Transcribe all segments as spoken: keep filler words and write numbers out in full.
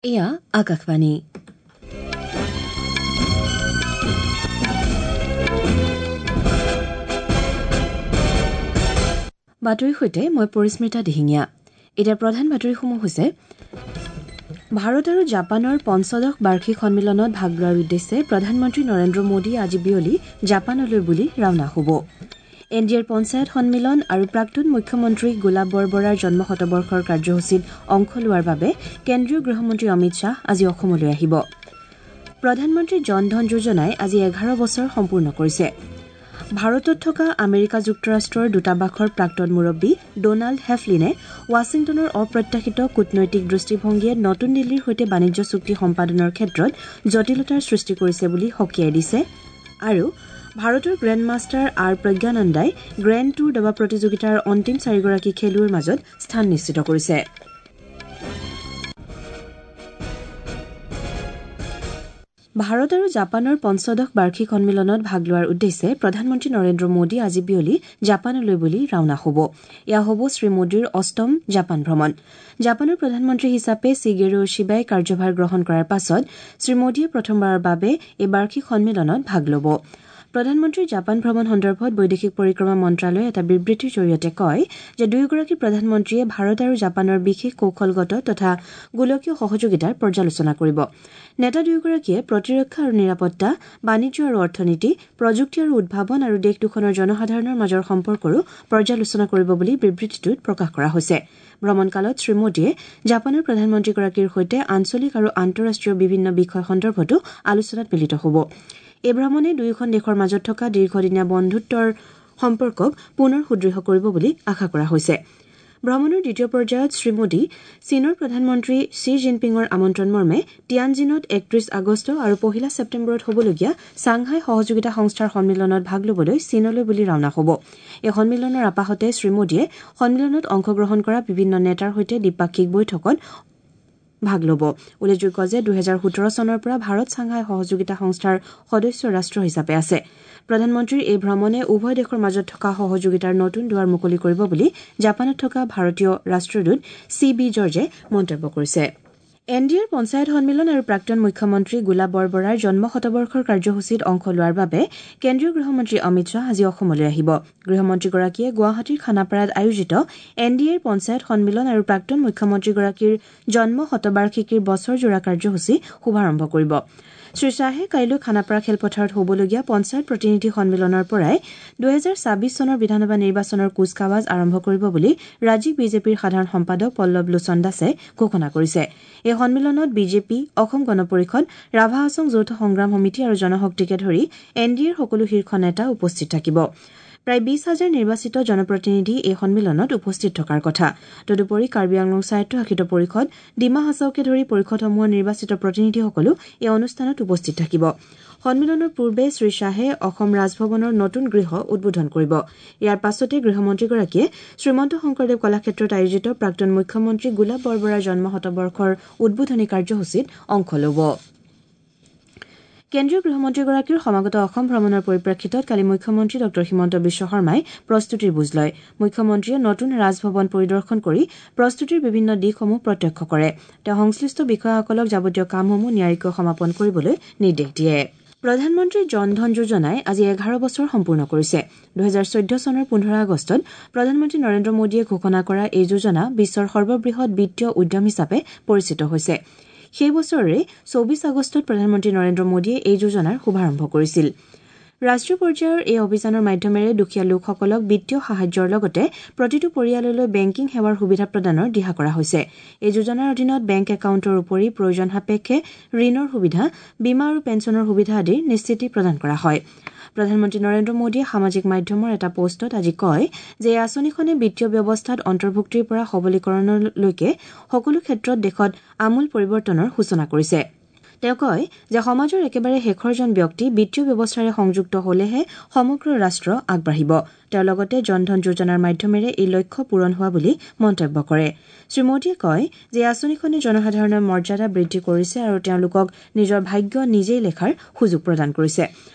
এয়া আকাশবাণী। বাতৰিৰ সৈতে মই পৰিস্মিতা দিহিঙীয়া। এতিয়া প্ৰধান বাতৰিসমূহ হৈছে ভাৰত আৰু জাপানৰ পঞ্চদশ বাৰ্ষিক সন্মিলনত ভাগ লোৱাৰ উদ্দেশ্যে প্ৰধানমন্ত্ৰী নৰেন্দ্ৰ মোদী আজি বিয়লি জাপানলৈ বুলি ৰাওনা হ'ব। এন ডি এৰ পঞ্চায়ত সন্মিলন আৰু প্ৰাক্তন মুখ্যমন্ত্ৰী গোলাপ বৰবৰাৰ জন্ম শতবৰ্ষৰ কাৰ্যসূচীত অংশ লোৱাৰ বাবে কেন্দ্ৰীয় গৃহমন্ত্ৰী অমিত শ্বাহ আজি অসমলৈ আহিব। প্ৰধানমন্ত্ৰী জন ধন যোজনাই আজি এঘাৰ বছৰ সম্পূৰ্ণ কৰিছে। ভাৰতত থকা আমেৰিকা যুক্তৰাষ্ট্ৰৰ দূতাবাসৰ প্ৰাক্তন মুৰব্বী ডনাল্ড হেফলিনে ৱাশ্বিংটনৰ অপ্ৰত্যাশিত কূটনৈতিক দৃষ্টিভংগীয়ে নতুন দিল্লীৰ সৈতে বাণিজ্য চুক্তি সম্পাদনৰ ক্ষেত্ৰত জটিলতাৰ সৃষ্টি কৰিছে বুলি সকীয়াই দিছে। আৰু ভাৰতৰ গ্ৰেণ্ড মাষ্টাৰ আৰ প্ৰজ্ঞানন্দাই গ্ৰেণ্ড ট্যুৰ দবা প্ৰতিযোগিতাৰ অন্তিম চাৰিগৰাকী খেলুৱৈৰ মাজত স্থান নিশ্চিত কৰিছে। ভাৰত আৰু জাপানৰ পঞ্চদশ বাৰ্ষিক সন্মিলনত ভাগ লোৱাৰ উদ্দেশ্যে প্ৰধানমন্ত্ৰী নৰেন্দ্ৰ মোদী আজি বিয়লি জাপানলৈ বুলি ৰাওনা হ'ব। এয়া হ'ব শ্ৰীমোদীৰ অষ্টম জাপান ভ্ৰমণ। জাপানৰ প্ৰধানমন্ত্ৰী হিচাপে চিগেৰু ইছিবাই কাৰ্যভাৰ গ্ৰহণ কৰাৰ পাছত শ্ৰীমোদীয়ে প্ৰথমবাৰৰ বাবে এই বাৰ্ষিক সন্মিলনত ভাগ ল'ব। প্ৰধানমন্ত্ৰীৰ জাপান ভ্ৰমণ সন্দৰ্ভত বৈদেশিক পৰিক্ৰমা মন্ত্ৰালয়ে এটা বিবৃতিৰ জৰিয়তে কয় যে দুয়োগৰাকী প্ৰধানমন্ত্ৰীয়ে ভাৰত আৰু জাপানৰ বিশেষ কৌশলগত তথা গোলকীয় সহযোগিতাৰ পৰ্যালোচনা কৰিব। নেতা দুয়োগৰাকীয়ে প্ৰতিৰক্ষা আৰু নিৰাপত্তা, বাণিজ্য আৰু অৰ্থনীতি, প্ৰযুক্তি আৰু উদ্ভাৱন আৰু দেশ দুখনৰ জনসাধাৰণৰ মাজৰ সম্পৰ্কৰো পৰ্যালোচনা কৰিব বুলি বিবৃতিটোত প্ৰকাশ কৰা হৈছে। ভ্ৰমণকালত শ্ৰীমোদীয়ে জাপানৰ প্ৰধানমন্ত্ৰীগৰাকীৰ সৈতে আঞ্চলিক আৰু আন্তঃৰাষ্ট্ৰীয় বিভিন্ন বিষয় সন্দৰ্ভতো আলোচনাত মিলিত হ'ব। এই ভ্ৰমণে দুয়োখন দেশৰ মাজত থকা দীৰ্ঘদিনীয়া বন্ধুত্বৰ সম্পৰ্কক পুনৰ সুদৃঢ় কৰিব বুলি আশা কৰা হৈছে। ভ্ৰমণৰ দ্বিতীয় পৰ্যায়ত শ্ৰীমোদী চীনৰ প্ৰধানমন্ত্ৰী শ্বি জিনপিঙৰ আমন্ত্ৰণ মৰ্মে টিয়ানজিনত একত্ৰিশ আগষ্ট আৰু পহিলা ছেপ্টেম্বৰত হ'বলগীয়া ছাংহাই সহযোগিতা সংস্থাৰ সন্মিলনত ভাগ ল'বলৈ চীনলৈ বুলি ৰাওনা হ'ব। এই সন্মিলনৰ আপাহতে শ্ৰীমোদীয়ে সন্মিলনত অংশগ্ৰহণ কৰা বিভিন্ন নেতাৰ সৈতে দ্বিপাক্ষিক বৈঠকত ভাগ ল'ব। উল্লেখযোগ্য যে দুহেজাৰ সোতৰ চনৰ পৰা ভাৰত ছাংহাই সহযোগিতা সংস্থাৰ সদস্য ৰাষ্ট্ৰ হিচাপে আছে। প্ৰধানমন্ত্ৰীৰ এই ভ্ৰমণে উভয় দেশৰ মাজত থকা সহযোগিতাৰ নতুন দুৱাৰ মুকলি কৰিব বুলি জাপানত থকা ভাৰতীয় ৰাষ্ট্ৰদূত চি বি জৰ্জে মন্তব্য কৰিছে। এন ডি এৰ পঞ্চায়ত সন্মিলন আৰু প্ৰাক্তন মুখ্যমন্ত্ৰী গোলাপ বৰবৰাৰ জন্ম শতবৰ্ষৰ কাৰ্যসূচীত অংশ লোৱাৰ বাবে কেন্দ্ৰীয় গৃহমন্ত্ৰী অমিত শ্বাহ আজি অসমলৈ আহিব। গৃহমন্ত্ৰীগৰাকীয়ে গুৱাহাটীৰ খানাপাৰাত আয়োজিত এন ডি এৰ পঞ্চায়ত সন্মিলন আৰু প্ৰাক্তন মুখ্যমন্ত্ৰীগৰাকীৰ জন্ম শতবাৰ্ষিকীৰ বছৰজোৰা কাৰ্যসূচী শুভাৰম্ভ কৰিব। শ্ৰীশ্বাহে কাইলৈ খানাপাৰা খেলপথাৰত হ'বলগীয়া পঞ্চায়ত প্ৰতিনিধি সন্মিলনৰ পৰাই দুহেজাৰ ছাব্বিছ চনৰ বিধানসভা নিৰ্বাচনৰ কুচকাৱাজ আৰম্ভ কৰিব বুলি ৰাজ্যিক বিজেপিৰ সাধাৰণ সম্পাদক পল্লৱ লোচন দাসে ঘোষণা কৰিছে। এই সন্মিলনত বিজেপি, অসম গণ পৰিষদ, ৰাভা হাছং যৌথ সংগ্ৰাম সমিতি আৰু জনশক্তিকে ধৰি এন ডি এৰ সকলো শীৰ্ষ নেতা উপস্থিত থাকিব। প্ৰায় বিশ হাজাৰ নিৰ্বাচিত জনপ্ৰতিনিধি এই সন্মিলনত উপস্থিত থকাৰ কথা। তদুপৰি কাৰ্বি আংলং স্বায়ত্তশাসিত পৰিষদ, ডিমা হাছাওকে ধৰি পৰিষদসমূহৰ নিৰ্বাচিত প্ৰতিনিধিসকলো এই অনুষ্ঠানত উপস্থিত থাকিব। সন্মিলনৰ পূৰ্বে শ্ৰীশ্বাহে অসম ৰাজভৱনৰ নতুন গৃহ উদ্বোধন কৰিব। ইয়াৰ পাছতে গৃহমন্ত্ৰীগৰাকীয়ে শ্ৰীমন্ত শংকৰদেৱ কলাক্ষেত্ৰত আয়োজিত প্ৰাক্তন মুখ্যমন্ত্ৰী গোলাপ বৰবৰাৰ জন্ম শতবৰ্ষৰ উদ্বোধনী কাৰ্যসূচীত অংশ ল'ব। কেন্দ্ৰীয় গৃহমন্ত্ৰীগৰাকীৰ সমাগত অসম ভ্ৰমণৰ পৰিপ্ৰেক্ষিতত কালি মুখ্যমন্ত্ৰী ডঃ হিমন্ত বিশ্ব শৰ্মাই প্ৰস্তুতিৰ বুজ লয়। মুখ্যমন্ত্ৰীয়ে নতুন ৰাজভৱন পৰিদৰ্শন কৰি প্ৰস্তুতিৰ বিভিন্ন দিশসমূহ প্ৰত্যক্ষ কৰে। তেওঁ সংশ্লিষ্ট বিষয়াসকলক যাৱতীয় কামসমূহ নিয়াৰিকৈ সমাপন কৰিবলৈ নিৰ্দেশ দিয়ে। প্ৰধানমন্ত্ৰী জন ধন যোজনাই আজি এঘাৰ বছৰ সম্পূৰ্ণ কৰিছে। দুহেজাৰ চৈধ্য চনৰ পোন্ধৰ আগষ্টত প্ৰধানমন্ত্ৰী নৰেন্দ্ৰ মোদীয়ে ঘোষণা কৰা এই যোজনা বিশ্বৰ সৰ্ববৃহৎ বিত্তীয় উদ্যম হিচাপে পৰিচিত হৈছে। সেই বছৰৰে চৌবিশ আগষ্টত প্ৰধানমন্ত্ৰী নৰেন্দ্ৰ মোদীয়ে এই যোজনাৰ শুভাৰম্ভ কৰিছিল। ৰাষ্ট্ৰীয় পৰ্যায়ৰ এই অভিযানৰ মাধ্যমেৰে দুখীয়া লোকসকলক বিত্তীয় সাহায্যৰ লগতে প্ৰতিটো পৰিয়াললৈ বেংকিং সেৱাৰ সুবিধা প্ৰদানৰ দিহা কৰা হৈছে। এই যোজনাৰ অধীনত বেংক একাউণ্টৰ উপৰি প্ৰয়োজন সাপেক্ষে ঋণৰ সুবিধা, বীমা আৰু পেঞ্চনৰ সুবিধা আদিৰ নিশ্চিতি প্ৰদান কৰা হয়। প্ৰধানমন্ত্ৰী নৰেন্দ্ৰ মোদীয়ে সামাজিক মাধ্যমৰ এটা পোষ্টত আজি কয় যে এই আঁচনিখনে বিত্তীয় ব্যৱস্থাত অন্তৰ্ভুক্তিৰ পৰা সবলীকৰণলৈকে সকলো ক্ষেত্ৰত দেশত আমূল পৰিৱৰ্তনৰ সূচনা কৰিছে। তেওঁ কয় যে সমাজৰ একেবাৰে শেষৰজন ব্যক্তি বিত্তীয় ব্যৱস্থাৰে সংযুক্ত হলেহে সমগ্ৰ ৰাষ্ট্ৰ আগবাঢ়িব। তেওঁ লগতে জন ধন যোজনাৰ মাধ্যমেৰে এই লক্ষ্য পূৰণ হোৱা বুলি মন্তব্য কৰে। শ্ৰীমোদীয়ে কয় যে এই আঁচনিখনে জনসাধাৰণৰ মৰ্যাদা বৃদ্ধি কৰিছে আৰু তেওঁলোকক নিজৰ ভাগ্য নিজেই লেখাৰ সুযোগ প্ৰদান কৰিছে।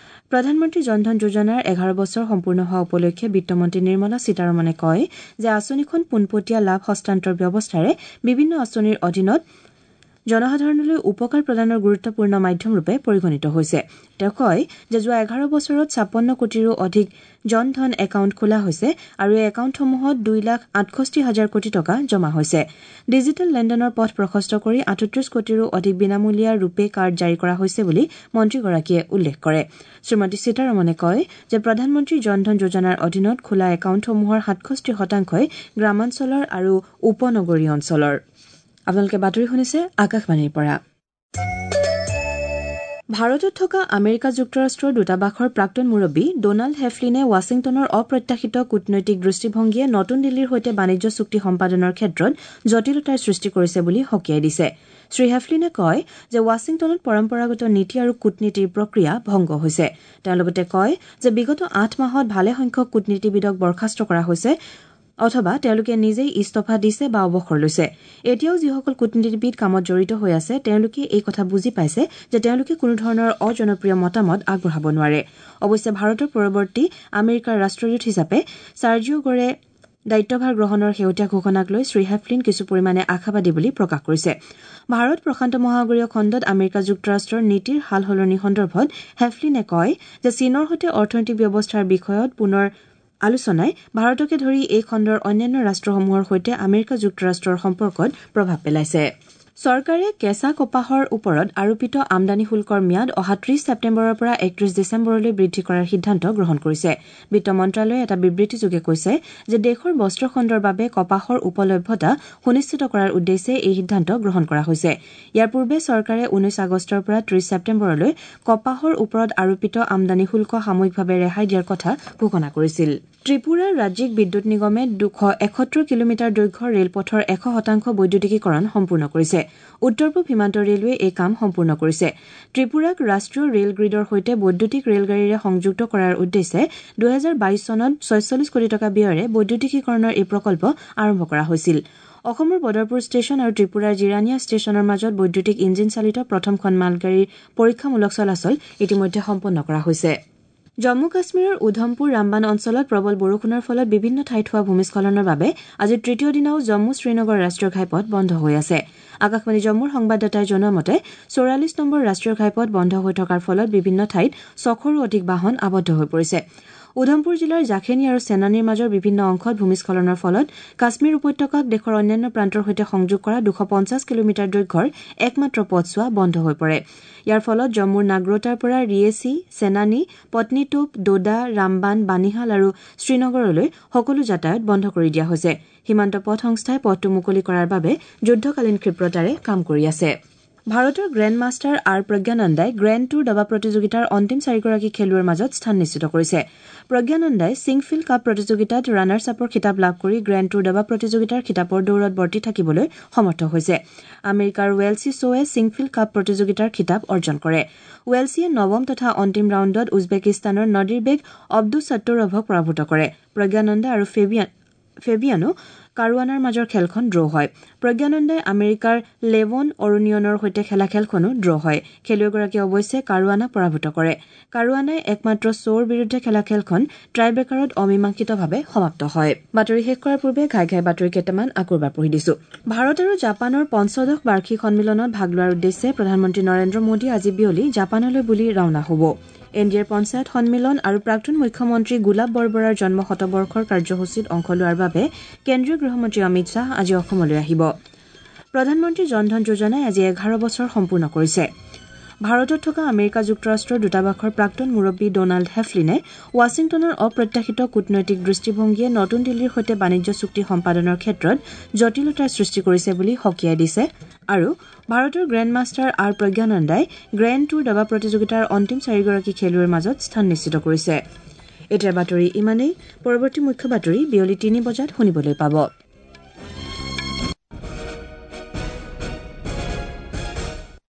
প্ৰধানমন্ত্ৰী জন ধন যোজনাৰ এঘাৰ বছৰ সম্পূৰ্ণ হোৱা উপলক্ষে বিত্তমন্ত্ৰী নিৰ্মলা সীতাৰমণে কয় যে আঁচনিখন পোনপটীয়া লাভ হস্তান্তৰ ব্যৱস্থাৰে বিভিন্ন আঁচনিৰ অধীনত জনসাধাৰণলৈ উপকাৰ প্ৰদানৰ গুৰুত্বপূৰ্ণ মাধ্যমৰূপে পৰিগণিত হৈছে। তেওঁ কয় যে যোৱা এঘাৰ বছৰত ছাপন্ন কোটিৰো অধিক জন ধন একাউণ্ট খোলা হৈছে আৰু এই একাউণ্টসমূহত দুই লাখ আঠষষ্ঠি হাজাৰ কোটি টকা জমা হৈছে। ডিজিটেল লেনদেনৰ পথ প্ৰশস্ত কৰি আঠত্ৰিশ কোটিৰো অধিক বিনামূলীয়া ৰূপে কাৰ্ড জাৰি কৰা হৈছে বুলি মন্ত্ৰীগৰাকীয়ে উল্লেখ কৰে। শ্ৰীমতী সীতাৰমণে কয় যে প্ৰধানমন্ত্ৰী জন ধন যোজনাৰ অধীনত খোলা একাউণ্টসমূহৰ সাতষষ্ঠি শতাংশই গ্ৰামাঞ্চলৰ আৰু উপনগৰীয় অঞ্চলৰ। আপোনালোকে বাতৰি শুনিছে আকাশবাণীৰ পৰা। ভাৰতত থকা আমেৰিকা যুক্তৰাষ্ট্ৰৰ দূতাবাসৰ প্ৰাক্তন মুৰব্বী ডনাল্ড হেফলিনে ৱাশ্বিংটনৰ অপ্ৰত্যাশিত কূটনৈতিক দৃষ্টিভংগীয়ে নতুন দিল্লীৰ সৈতে বাণিজ্য চুক্তি সম্পাদনৰ ক্ষেত্ৰত জটিলতাৰ সৃষ্টি কৰিছে বুলি সকীয়াই দিছে। শ্ৰী হেফলিনে কয় যে ৱাশ্বিংটনত পৰম্পৰাগত নীতি আৰু কূটনীতিৰ প্ৰক্ৰিয়া ভংগ হৈছে। তেওঁ লগতে কয় যে বিগত আঠ মাহত ভালেসংখ্যক কূটনীতিবিদক বৰ্খাস্ত কৰা হৈছে অথবা তেওঁলোকে নিজেই ইস্তফা দিছে বা অৱসৰ লৈছে। এতিয়াও যিসকল কূটনীতিবিদ কামত জড়িত হৈ আছে তেওঁলোকে এই কথা বুজি পাইছে যে তেওঁলোকে কোনোধৰণৰ অজনপ্ৰিয় মতামত আগবঢ়াব নোৱাৰে। অৱশ্যে ভাৰতৰ পৰৱৰ্তী আমেৰিকাৰ ৰাষ্ট্ৰদূত হিচাপে চাৰ্জিঅ' গৰে দায়িত্বভাৰ গ্ৰহণৰ শেহতীয়া ঘোষণাক লৈ শ্ৰী হেফলিন কিছু পৰিমাণে আশাবাদী বুলি প্ৰকাশ কৰিছে। ভাৰত প্ৰশান্ত মহাসাগৰীয় খণ্ডত আমেৰিকা যুক্তৰাষ্ট্ৰৰ নীতিৰ সাল সলনি সন্দৰ্ভত হেফলিনে কয় যে চীনৰ সৈতে অৰ্থনৈতিক ব্যৱস্থাৰ বিষয়ত পুনৰ আলোচনাই ভাৰতকে ধৰি এই খণ্ডৰ অন্যান্য ৰাষ্ট্ৰসমূহৰ সৈতে আমেৰিকা যুক্তৰাষ্ট্ৰৰ সম্পৰ্কত প্ৰভাৱ পেলাইছে। চৰকাৰে কেঁচা কপাহৰ ওপৰত আৰোপিত আমদানি শুল্কৰ ম্যাদ অহা ত্ৰিশ ছেপ্টেম্বৰৰ পৰা একত্ৰিশ ডিচেম্বৰলৈ বৃদ্ধি কৰাৰ সিদ্ধান্ত গ্ৰহণ কৰিছে। বিত্ত মন্ত্ৰালয়ে এটা বিবৃতিযোগে কৈছে যে দেশৰ বস্ত্ৰ খণ্ডৰ বাবে কপাহৰ উপলভ্যতা সুনিশ্চিত কৰাৰ উদ্দেশ্যে এই সিদ্ধান্ত গ্ৰহণ কৰা হৈছে। ইয়াৰ পূৰ্বে চৰকাৰে ঊনৈশ আগষ্টৰ পৰা ত্ৰিশ ছেপ্টেম্বৰলৈ কপাহৰ ওপৰত আৰোপিত আমদানি শুল্ক সাময়িকভাৱে ৰেহাই দিয়াৰ কথা ঘোষণা কৰিছিল। ত্ৰিপুৰাৰ ৰাজ্যিক বিদ্যুৎ নিগমে দুশ এসত্তৰ কিলোমিটাৰ দৈৰ্ঘ্যৰ ৰেলপথৰ এশ শতাংশ বৈদ্যুতিকীকৰণ সম্পূৰ্ণ কৰিছে। উত্তৰ পূব সীমান্ত ৰেলৱে এই কাম সম্পূৰ্ণ কৰিছে। ত্ৰিপুৰাক ৰাষ্ট্ৰীয় ৰেল গ্ৰীডৰ সৈতে বৈদ্যুতিক ৰেলগাড়ীৰে সংযুক্ত কৰাৰ উদ্দেশ্যে দুহেজাৰ বাইশ চনত ছয়চল্লিছ কোটি টকা ব্যয়েৰে বৈদ্যুতিকীকৰণৰ এই প্ৰকল্প আৰম্ভ কৰা হৈছিল। অসমৰ বদৰপুৰ ষ্টেচন আৰু ত্ৰিপুৰাৰ জিৰানিয়া ষ্টেচনৰ মাজত বৈদ্যুতিক ইঞ্জিন চালিত প্ৰথমখন মালগাড়ীৰ পৰীক্ষামূলক চলাচল ইতিমধ্যে সম্পন্ন কৰা হৈছে। জম্মু কাশ্মীৰৰ উধমপুৰ ৰামবান অঞ্চলত প্ৰবল বৰষুণৰ ফলত বিভিন্ন ঠাইত হোৱা ভূমিস্খলনৰ বাবে আজি তৃতীয় দিনাও জম্মু শ্ৰীনগৰ ৰাষ্ট্ৰীয় ঘাইপথ বন্ধ হৈ আছে। আকাশবাণী জম্মুৰ সংবাদদাতাই জনোৱা মতে চৌৰাল্লিছ নম্বৰ ৰাষ্ট্ৰীয় ঘাইপথ বন্ধ হৈ থকাৰ ফলত বিভিন্ন ঠাইত ছশৰো অধিক বাহন আবদ্ধ হৈ পৰিছে। উধমপুৰ জিলাৰ জাখেনী আৰু চেনানীৰ মাজৰ বিভিন্ন অংশত ভূমিস্খলনৰ ফলত কাশ্মীৰ উপত্যকাক দেশৰ অন্যান্য প্ৰান্তৰ সৈতে সংযোগ কৰা দুশ পঞ্চাছ কিলোমিটাৰ দৈৰ্ঘ্যৰ একমাত্ৰ পথছোৱা বন্ধ হৈ পৰে। ইয়াৰ ফলত জম্মুৰ নাগ্ৰোটাৰ পৰা ৰিয়েচি, চেনানী, পত্নীটোপ, ডোডা, ৰামবান, বানিহাল আৰু শ্ৰীনগৰলৈ সকলো যাতায়াত বন্ধ কৰি দিয়া হৈছে। সীমান্ত পথ সংস্থাই পথটো মুকলি কৰাৰ বাবে যুদ্ধকালীন ক্ষিপ্ৰতাৰে কাম কৰি আছে। ভাৰতৰ গ্ৰেণ্ড মাষ্টাৰ আৰ প্ৰজ্ঞানন্দাই গ্ৰেণ্ড টুৰ দবা প্ৰতিযোগিতাৰ অন্তিম চাৰিগৰাকী খেলুৱৈৰ মাজত স্থান নিশ্চিত কৰিছে। প্ৰজ্ঞানন্দাই ছিংফিল্ড কাপ প্ৰতিযোগিতাত ৰানাৰ্ছ আপৰ খিতাপ লাভ কৰি গ্ৰেণ্ড টুৰ দবা প্ৰতিযোগিতাৰ খিতাপৰ দৌৰত বৰ্তি থাকিবলৈ সমৰ্থ হৈছে। আমেৰিকাৰ ৱেলছি শ্ব'ৱে ছিংফিল্ড কাপ প্ৰতিযোগিতাৰ খিতাপ অৰ্জন কৰে। ৱেলছিয়ে নৱম তথা অন্তিম ৰাউণ্ডত উজবেকিস্তানৰ নদীৰবেগ অব্দুছাত্তোৰভক পৰাভূত কৰে। প্ৰজ্ঞানন্দা আৰু ফেবিয়ান ফেবিয়ানো কাৰুৱানাৰ মাজৰ খেলখন ড্ৰ হয়। প্ৰজ্ঞানন্দাই আমেৰিকাৰ লেভন অৰুণিয়নৰ সৈতে খেলা খেলখনো ড্ৰ হয়। খেলুৱৈগৰাকীয়ে অৱশ্যে কাৰুৱানাক পৰাভূত কৰে। কাৰুৱানাই একমাত্ৰ শ্ব'ৰ বিৰুদ্ধে খেলা খেলখন ট্ৰাইবেকাৰত অমীমাংসিতভাৱে সমাপ্ত হয়। বাতৰি শেষ কৰাৰ পূৰ্বে ঘাই ঘাই বাতৰি কেইটামান আকৌ এবাৰ পঢ়ি দিছো। ভাৰত আৰু জাপানৰ পঞ্চদশ বাৰ্ষিক সন্মিলনত ভাগ লোৱাৰ উদ্দেশ্যে প্ৰধানমন্ত্ৰী নৰেন্দ্ৰ মোদী আজি বিয়লি জাপানলৈ বুলি ৰাওনা হ'ব। এন ডি এৰ পঞ্চায়ত সন্মিলন আৰু প্ৰাক্তন মুখ্যমন্ত্ৰী গোলাপ বৰবৰাৰ জন্ম শতবৰ্ষৰ কাৰ্যসূচীত অংশ লোৱাৰ বাবে কেন্দ্ৰীয় গৃহমন্ত্ৰী অমিত শ্বাহ আজি অসমলৈ আহিব। প্ৰধানমন্ত্ৰী জন ধন যোজনাই আজি এঘাৰ বছৰ সম্পূৰ্ণ কৰিছে। ভাৰতত থকা আমেৰিকা যুক্তৰাষ্ট্ৰৰ দূতাবাসৰ প্ৰাক্তন মুৰব্বী ডনাল্ড হেফলিনে ৱাশ্বিংটনৰ অপ্ৰত্যাশিত কূটনৈতিক দৃষ্টিভংগীয়ে নতুন দিল্লীৰ সৈতে বাণিজ্য চুক্তি সম্পাদনৰ ক্ষেত্ৰত জটিলতাৰ সৃষ্টি কৰিছে বুলি সকীয়াই দিছে। আৰু ভাৰতৰ গ্ৰেণ্ড মাষ্টাৰ আৰ প্ৰজ্ঞানন্দাই গ্ৰেণ্ড টুৰ দবা প্ৰতিযোগিতাৰ অন্তিম চাৰিগৰাকী খেলুৱৈৰ মাজত স্থান নিশ্চিত কৰিছে। এতিয়াৰ বাতৰি ইমানেই। পৰৱৰ্তী মুখ্য বাতৰি বিয়লি তিনি বজাত শুনিবলৈ পাব।